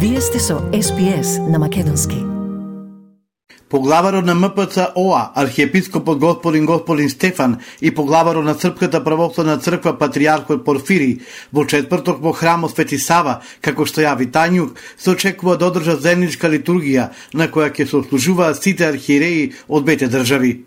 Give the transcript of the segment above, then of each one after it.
Вие сте со SPS на македонски. Поглаварот на МПЦ-ОА, архиепископот господин Стефан и поглаварот на Српската православна црква патријархот Порфирий во четврток во храмот Свети Сава, како што јави Тањук, се очекува да одржат заедничка литургија на која ќе се ослужуваат сите архиереи од двете држави.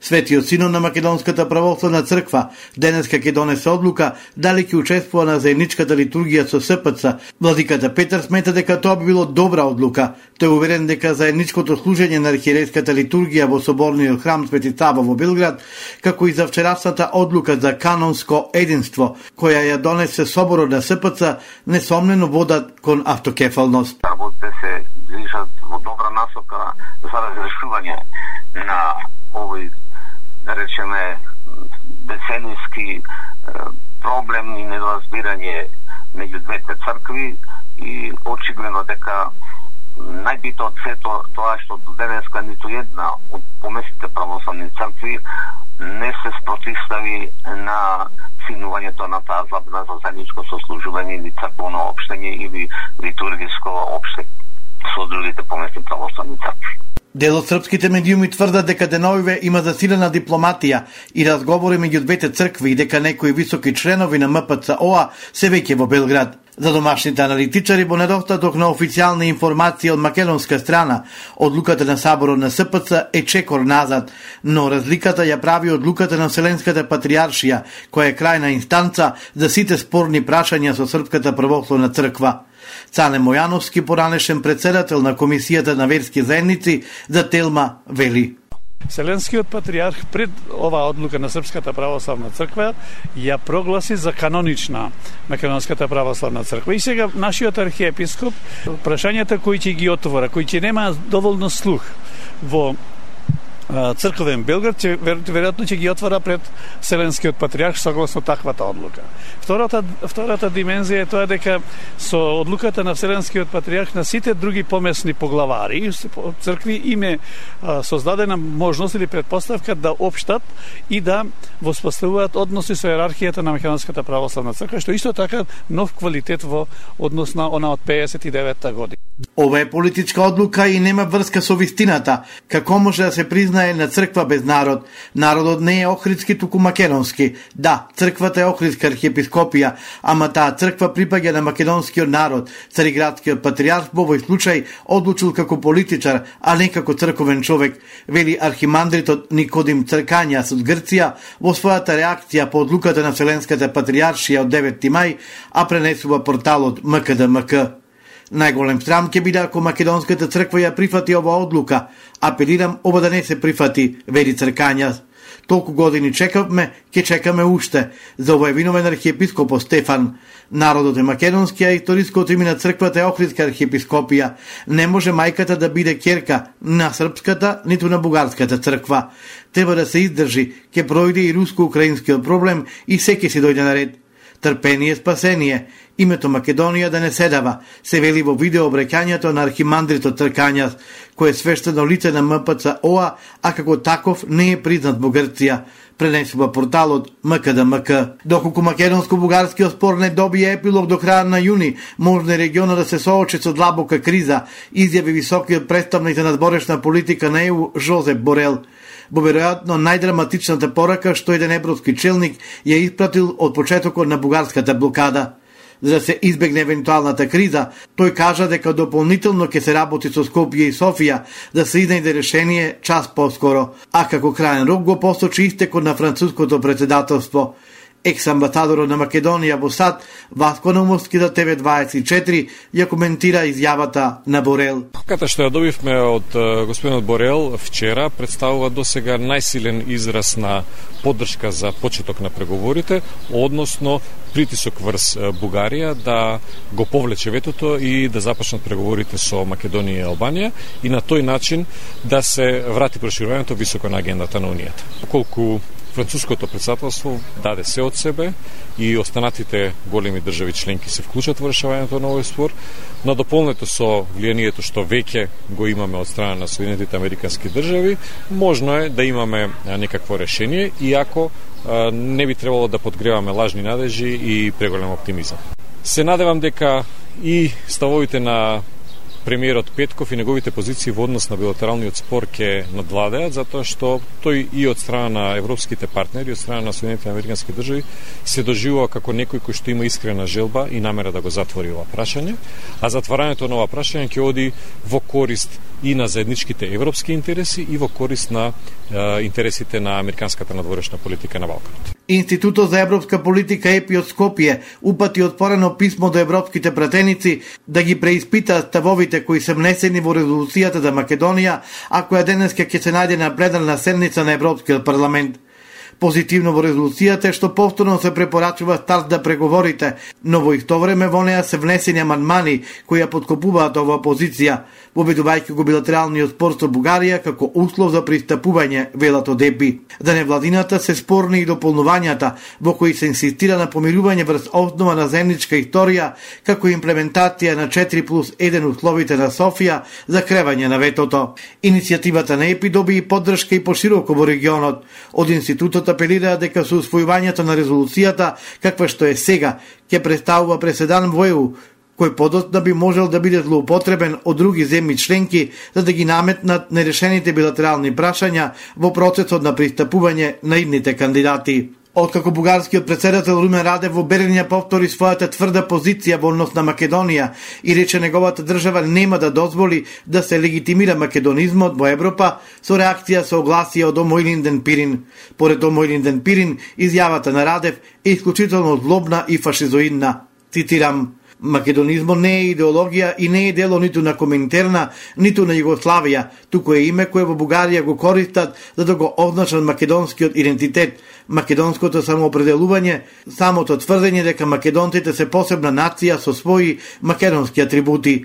Светиот Синод на Македонската православна црква денеска ќе донесе одлука дали ќе учествува на заедничката литургија со СПЦ. Владиката Петар смета дека тоа би било добра одлука. Тој е уверен дека заедничкото служење на архиерейската литургија во соборниот храм Свети Сава во Белград, како и за вчерашната одлука за канонско единство, која ја донесе соборот на СПЦ, несомнено водат кон автокефалност. Работите се движат во добра насока за разрешување на овој, да речеме, деценијски проблем и недоразбирање меѓу двете цркви, и очигледно дека најбитно од сето тоа што до денеска ниту една од помесните православни цркви не се спротивстави на синувањето на таа забрана за заедничко сослужување или црковно општење или литургиско општење со другите помесни православни цркви. Дел од српските медиуми тврдат дека деновиве има засилена дипломатија и разговори меѓу двете цркви и дека некои високи членови на МПЦ-ОА се веќе во Белград. За домашните аналитичари, во недостаток на официјални информации од македонска страна, одлуката на Саборот на СПЦ е чекор назад, но разликата ја прави одлуката на Вселенската патријаршија, која е крајна инстанца за сите спорни прашања со Српската православна црква. Цане Мојановски, поранешен председател на Комисијата на верски заедници, за Телма вели: Вселенскиот патријарх пред оваа одлука на Српската православна црква ја прогласи за канонична Македонската православна црква. И сега нашиот архиепископ прашањата кои ќе ги отвора, кои ќе немаат доволно слух во црковен Белград, веројатно ќе ги отвора пред Вселенскиот патријарх согласно таквата одлука. Втората димензија е тоа дека со одлуката на Вселенскиот патријарх на сите други помесни поглавари цркви име создадена можност или предпоставка да општат и да воспоставуваат односи со иерархијата на Македонската православна црква, што исто така нов квалитет во однос на она од 59-та година. Ова е политичка одлука и нема врска со вистината. Како може да се признае на црква без народ? Народот не е охридски, туку македонски. Да, црквата е охридска архиепископија, ама таа црква припаѓа на македонскиот народ. Цариградскиот патријарх во овој случај одлучил како политичар, а не како црковен човек, вели архимандритот Никодим Цркањас од Грција во својата реакција по одлуката на Вселенската патријаршија од 9 мај, а пренесува порталот МКДМК. Најголем срам ќе биде ако Македонската црква ја прифати ова одлука. Апелирам ова да не се прифати, вели Цркањас. Толку години чекавме, ќе чекаме уште. За ова е виновен архиепископот Стефан. Народот е македонски, а историското име на црквата е охридска архиепископија. Не може мајката да биде ќерка на српската, ниту на бугарската црква. Треба да се издржи, ќе пројде и руско-украинскиот проблем и секи си дојде на ред. Трпение, спасение. Името Македонија да не се дава, се вели во видео обраќањето на архимандритот Цркањас, кој е свештено лице на МПЦ-ОА, а како таков не е признат во Грција, пренесува порталот МКДМК. Доколку македонско-бугарскиот спор не добие епилог до крај на јуни, можно е регионот да се соочи со длабока криза, изјави високиот представник за надборешна политика на ЕУ Жозеп Борел. Во веројатно најдраматичната порака што еден европски челник ја испратил од почетокот на бугарската блокада. За да се избегне евентуалната криза, тој кажа дека дополнително ќе се работи со Скопје и Софија да се изнајде решение час поскоро, а како крајен рок го посочи истекот на француското председателство. Екс-амбасадорот на Македонија во САД, Васко Наумовски за ТВ24, ја коментира изјавата на Борел. Ката што ја добивме од господинот Борел вчера представува досега најсилен израз на поддршка за почеток на преговорите, односно притисок врз Бугарија да го повлече ветото и да започнат преговорите со Македонија и Албанија и на тој начин да се врати проширувањето високо на агендата на Унијата. Колку француското председателство даде се од себе и останатите големи држави членки се вклучат во решавањето на овој спор, надополнето со влијанието што веќе го имаме од страна на Соединетите Американски држави, можно е да имаме некакво решение, иако не би требало да подгреваме лажни надежи и преголем оптимизам. Се надевам дека и ставовите на премиерот Петков и неговите позиции во однос на билатералниот спор ќе надвладеат, затоа што тој и од страна на европските партнери, од страна на Соединетите американски држави се доживува како некој кој што има искрена желба и намера да го затвори ова прашање, а затварањето на ова прашање ќе оди во корист и на заедничките европски интереси и во корист на интересите на американската надворешна политика на Балканот. Институтот за европска политика ЕПИ од Скопје упати отворено писмо до европските пратеници да ги преиспитаат ставовите кои се внесени во резолуцијата за Македонија, а која денеска ќе се најде на пленарна седница на Европскиот парламент. Позитивно во резолуцијата е што повторно се препорачува старт да преговорите, но во исто време во неа се внесени амандмани кои ја подкопуваат оваа позиција, воведувајќи го билатералниот спор со Бугарија како услов за пристапување, велат од ЕПИ. За невладината се спорни и дополнувањата во кои се инсистира на помирување врз основа на заедничка историја, како имплементација на 4+1 условите на Софија за кревање на ветото. Иницијативата на ЕПИ доби и поддршка и пошироко во регионот. Од институтот апелира дека со усвојувањето на резолуцијата, каква што е сега, ќе представува преседан во ЕУ, кој подоцна би можел да биде злоупотребен од други земји членки за да ги наметнат нерешените билатерални прашања во процесот на пристапување на идните кандидати. Откако бугарскиот претседател Румен Радев во Берин повтори својата тврда позиција во однос на Македонија и рече неговата држава нема да дозволи да се легитимира македонизмот во Европа, со реакција се огласија од Омо Илинден Пирин. Поред Омо Илинден Пирин, изјавата на Радев е исклучително злобна и фашизоидна. Цитирам: Македонизмот не е идеологија и не е дело ниту на Коминтерна, ниту на Југославија, туку е име кое во Бугарија го користат за да го означат македонскиот идентитет, македонското самоопределување, самото тврдење дека македонците се посебна нација со своји македонски атрибути.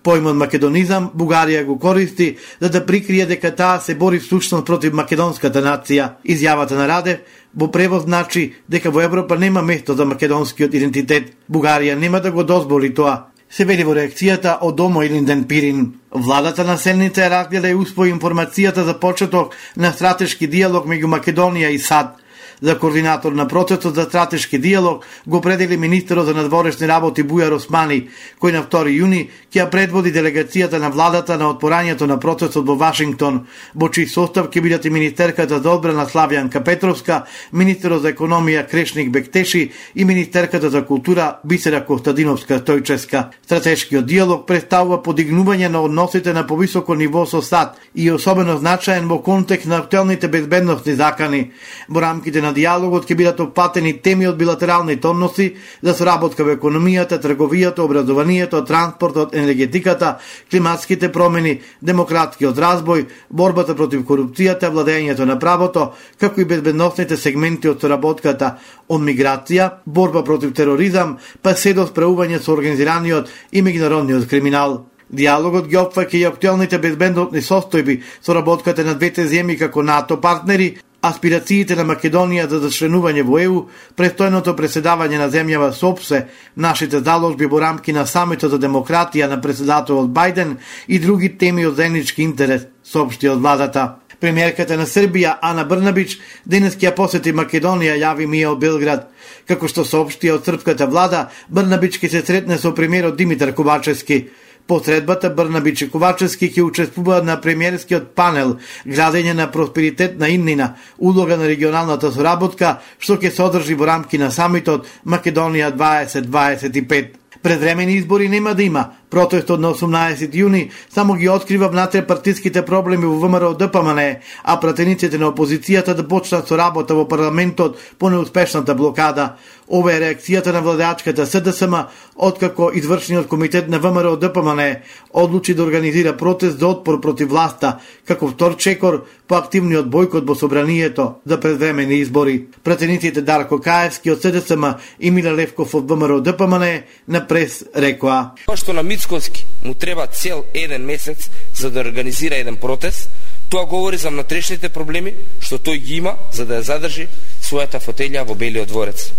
Поимот македонизам Бугарија го користи за да прикрие дека таа се бори всушност против македонската нација. Изјавата на Радев во превод значи дека во Европа нема место за македонскиот идентитет. Бугарија нема да го дозволи тоа, се вели во реакцијата од Омо Илинден Пирин. Владата на седница ја разгледа и успои информацијата за почеток на стратешки диалог меѓу Македонија и САД. За координатор на процесот за стратешки диалог го определи министерот за надворешни работи Бујар Османи, кој на 2 јуни ќе ја предводи делегацијата на владата на отпорањето на процесот во Вашингтон, во чиј состав ќе бидат и министерката за одбрана Славјанка Петровска, министерот за економија Крешник Бектеши и министерката за култура Бисера Костадиновска Стојческа. Стратешкиот диалог представува подигнување на односите на повисоко ниво со САД и особено значаен во контекст на актуелните безбедносни закани. Во рамките на диалогот ќе бидат опатени теми од билатералните односи за соработка во економијата, трговијата, образованието, транспортот, енергетиката, климатските промени, демократскиот разбој, борбата против корупцијата, владењето на правото, како и безбедносните сегменти од соработката, од миграција, борба против тероризам, па се до справување со организираниот и меѓународниот криминал. Диалогот ги опфаќа и актуелните безбедносни состојби, соработката на двете земји како НАТО партнери, аспирациите на Македонија за членување во ЕУ, престојното преседавање на земјава со ОПСЕ, нашите заложби во рамки на самитот за демократија на председателот Бајден и други теми од заеднички интерес, соопшти од владата. Премиерката на Србија Ана Брнабич денес ќе ја посети Македонија, јави Мија од Белград. Како што соопшти од српската влада, Брнабич ќе се сретне со премиерот Димитар Ковачевски. По средбата Брнабич и Ковачевски ќе учествуваат на премиерскиот панел градење на просперитетна иднина, улога на регионалната соработка, што ќе се одржи во рамки на самитот Македонија 2025. Предвремени избори нема да има. Протестот на 18 јуни само ги открива внатре-партиските проблеми во ВМРО ДПМН, а пратениците на опозицијата да почнат со работа во парламентот по неуспешната блокада. Ова е реакцијата на владеачката СДСМ, откако извршниот комитет на ВМРО ДПМН одлучи да организира протест за отпор против власта, како втор чекор по активниот бојкот во собранието за предвремени избори. Пратениците Дарко Каевски од СДСМ и Мила Левков од ВМРО ДПМН на прес рекоа: Што на Мицкоски му треба цел еден месец за да организира еден протест, тоа говори за внатрешните проблеми што тој ги има за да ја задржи својата фотелја во Белиот дворец.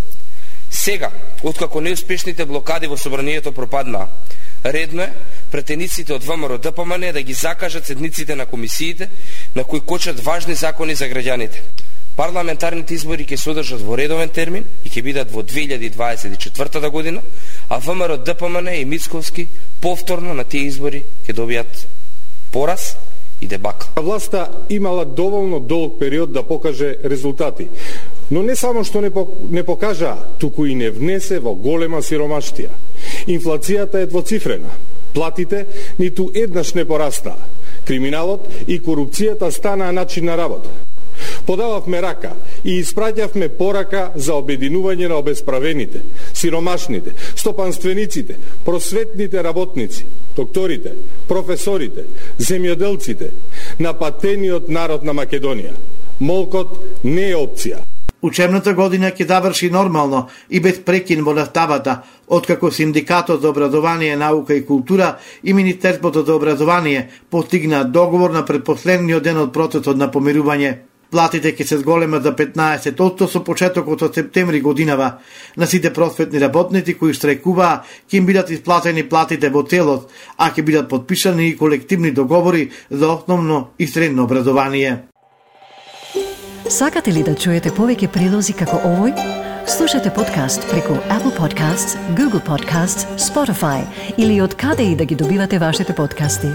Сега, откако неуспешните блокади во собранието пропаднаа, редно е претениците од ВМРО ДПМН да ги закажат седниците на комисиите на кои кочат важни закони за граѓаните. Парламентарните избори ќе се одржат во редовен термин и ќе бидат во 2024 година, а ВМРО ДПМН и Мицковски повторно на тие избори ќе добијат пораз и дебакл. Власта имала доволно долг период да покаже резултати, но не само што не покажа, туку и не внесе во голема сиромаштија. Инфлацијата е двоцифрена, платите ниту еднаш не порастаа, криминалот и корупцијата станаа начин на работа. Подававме рака и испраќавме порака за обединување на обесправените, сиромашните, стопанствениците, просветните работници, докторите, професорите, земјоделците, на патениот народ на Македонија. Молкот не е опција. Учебната година ќе заврши нормално и без прекин во наставата, откако Синдикатот за образование, наука и култура и Министерството за образование постигна договор на предпоследниот ден од процесот на помирување. Платите ќе се зголемат за 15% со почетокот од септември годинава. На сите просветни работници кои штрајкуваа ќе им бидат исплатени платите во целост, а ќе бидат подпишани и колективни договори за основно и средно образование. Сакате ли да чуете повеќе прилози како овој? Слушате подкаст преку Apple Podcasts, Google Podcasts, Spotify или од каде и да ги добивате вашите подкасти.